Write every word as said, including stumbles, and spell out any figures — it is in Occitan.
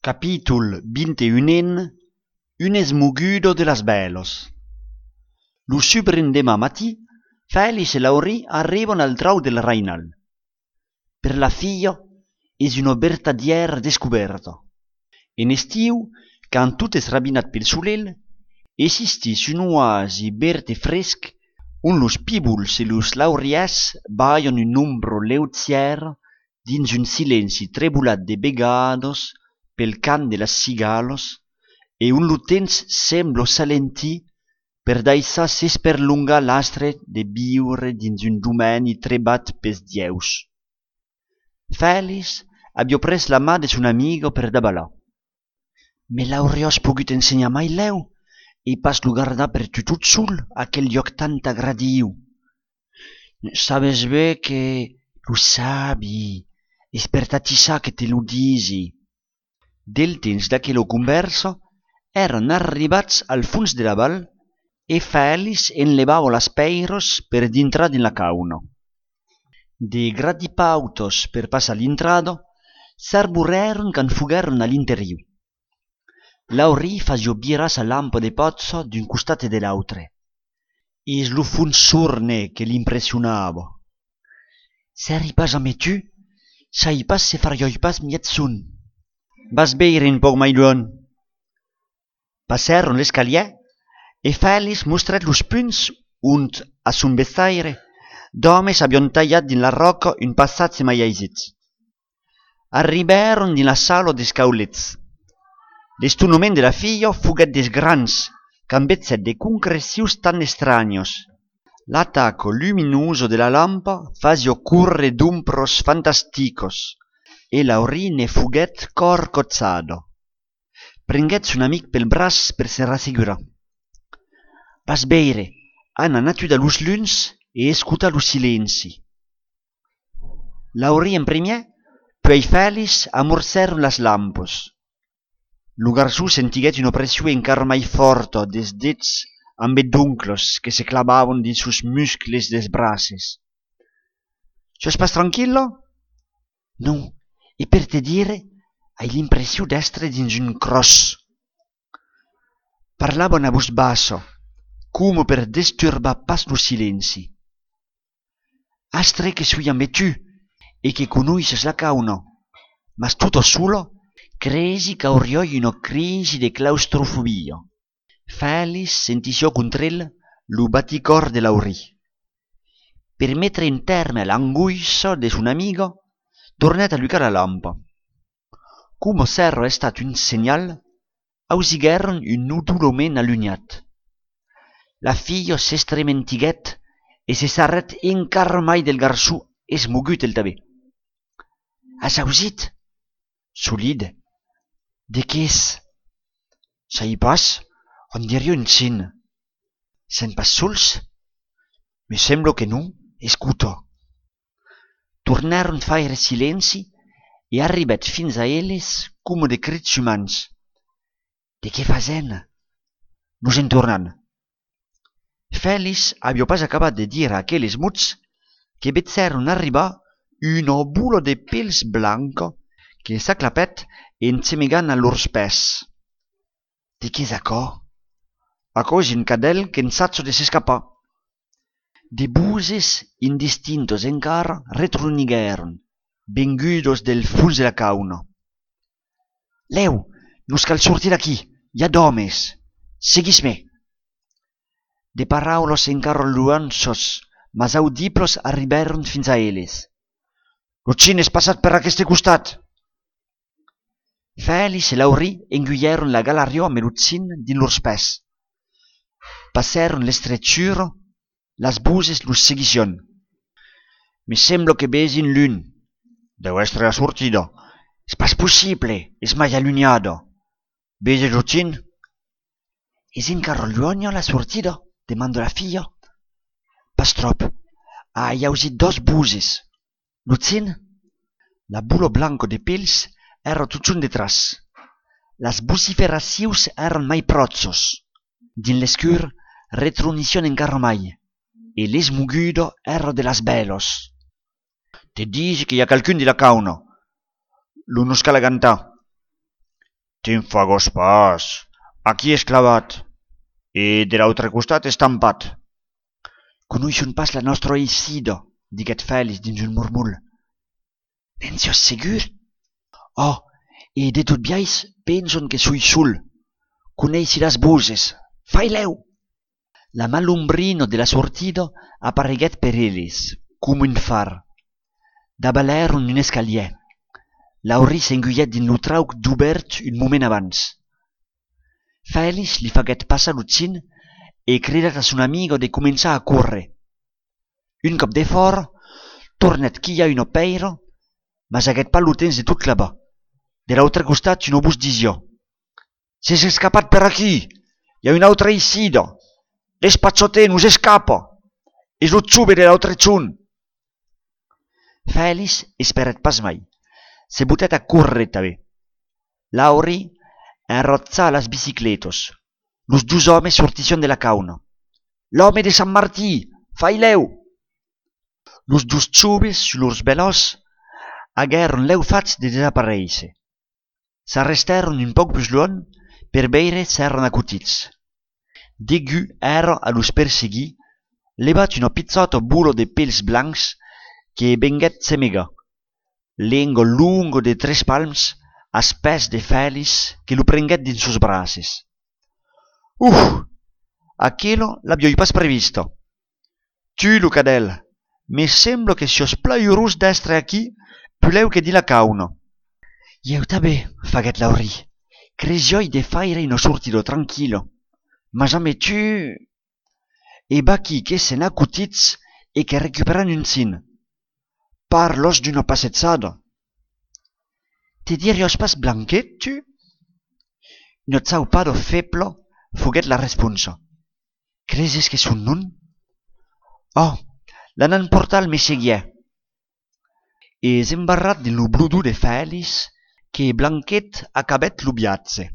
Capítol vint e un. Una esmoguda de las bèlas. Lo subrendeman matin, Fèlix e Laurí arriban al trauc del Rainal. Per la filha, es una vertadièra descobèrta. En estiu, quand tot es rabinat pel solelh, existís un oasi verd e fresc ont los pibols e los laurièrs balhan una ombra leugièra dins un silenci trebolat de vegadas pel cant de las cigalas e ont lo temps sembla s'alentir per daissar s'esperlongar l'astre de viure dins un domeni trebat pels dieus. Fèlix aviá pres la man de son amiga per davalar. Me l'auriás pogut ensenhar mai lèu e pas lo gardar per tu tot sol, aquel luòc tant agradiu. Sabes ben que lo sabi, es per t'atissar que te lo disi. Del temps d'aquela convèrsa, èran arribats al fons de la val e Fèlix enlevava las pèiras per dintrar dins la cauna. De gratipautas per passar l'intrada, s'arborèron quand foguèron a l'interior. Laurí fasiá virar sa lampa de pòcha d'un costat e de l'autre. Es lo fons sorne que l'impressionava. S'èri pas amé tu, sai pas se fariái pas mièg son. Vas veire un pauc mai luènh. Passèron l'escalièr e Fèlix mostrèt los punts ont, a son bestaire, d'òmes avián talhat dins la ròca un passatge mai aisit. Arribèron dins la sala dels caulets. L'estonament de la filha foguèt dels grands quand vegèt de concrecions tan estranhas. L'ataca luminosa de la lampa fasiá córrer d'ombras fantasticas e Laurí ne foguèt corcotjada. Prenguèt son amic pel braç per se rassegurar. Vas veire, anam atudar los lums e escotar lo silenci. Laurí en primièr, puèi Fèlix amorcèron las lampas. Lo garçon sentiguèt una pression encara mai fòrta dels dets ambe d'oncles que se clavavan dins sos muscles dels braces. Siás pas tranquilla? Non, e per te dire, ai l'impression d'èstre dins un cròs. Parlavan a votz bassa, coma per desturbar pas lo silenci. Astre que soi ambe tu e que conoisses la cauna, mas tota sola, cresi qu'auriái una crisi de claustrofobia. Fèlix sentissiá contra el lo baticòr de Laurí. Per metre un tèrme a l'angoissa de son amiga, tornèt alucar la lampa. Coma s'èra estat un senhal, ausiguèron un odolament alunhat. La filha s'estrementiguèt e se sarrèt encara mai del garçon esmogut el tanben. As ausit? Solide. De qué es? Sai pas, on diriá un chin. Sèm pas sols? Me sembla que non, escota. Tornèron faire silenci e arribèt fins a eles coma de crits umans. De qué fasèm? Nos en tornam. Fèlix aviá pas acabat de dire aqueles mots que vegèron arribar una bola de pèls blanca que s'aclapèt en gemegant a lors pès. De qué es aquò? Aquò es un cadèl qu'ensaja de s'escapar. De voses indistintas encara retroniguèron, vengudas del fons de la cauna. Lèu, nos cal sortir d'aquí, i a d'òmes. Seguís-me. De paraulas encara luènhas, mas audiblas arribèron fins a eles. Lo chin es passat per aqueste costat! Fèlix e Laurí engulhèron la galariá ambe lo chin dins lors pès. Passèron l'estrechura, las voses los seguissián. Me sembla que vesi un lum. Deu èstre la sortida. Es pas possible, es mai alunhada. Veses lo chin? Es encara luènha la sortida? Demanda la filha. Pas tròp. Ai ausit doas voses. Lo chin? La bola blanca de pèls èra totjorn detràs. Las vociferacions èran mai pròchas. Dins l'escur, retronissián encara mai, e l'esmoguda èra de las bèlas. Te disi que i a qualqu'un dins la cauna. Lo nos cal agantar. Te'n fagas pas, aquí es clavat, e de l'autre costat estampat. Conoisson pas la nòstra eissida, diguèt Fèlix dins un mormolh. Ne'n siás segur? Ò, e de tot biais penson que soi sol. Coneissi las voses. Fai lèu! La malombrina de la sortida apareguèt per eles, coma un far. Davalèron un escalièr. Laurí s'engulhèt dins lo trauc dubèrt un moment abans. Fèlix li faguèt passar lo chin e cridèt a son amiga de començar a córrer. Un còp defòra, tornèt quilhar una pèira, mas aguèt pas lo temps de tot clavar. De l'autre costat, una votz disiá: S'es escapat per aquí! I a una autra eissida! Despachatz-te, nos escapa! Es lo jove de l'autre jorn! Fèlix esperèt pas mai. Se botèt a córrer tanben. Laurí enrotjà las bicicletas. Los dos òmes sortissián de la cauna. L'òme de Sant Martin! Fai lèu! Los dos joves, sus lors velòs, aguèron lèu fach de desaparéisser. S'arrestèron un pauc pus luènh per veire s'èran acotits. Degun èra a los perseguir, levat una pichòta bola de pèls blancs que venguèt gemegar, lenga longa de tres palms, als pès de Fèlix que lo prenguèt dins sos braces. Uf! Aquela l'aviái pas prevista. Tu, lo cadèl, me sembla que siás plan urós d'èstre aquí pulèu que dins la cauna. Ieu tanben, faguèt Laurí. Cresiái de faire una sortida tranquilla. Mas ambe tu... E vaquí que sèm acotits e que recuperam un chin. Parlas d'una passejada! Te diriás pas Blanquet, tu? Una chaupada febla foguèt la responsa. Creses qu'es son nom? Ò, l'anam portar al messegièr. Es embarrat dins lo blodon de Fèlix que Blanquet acabèt lo viatge.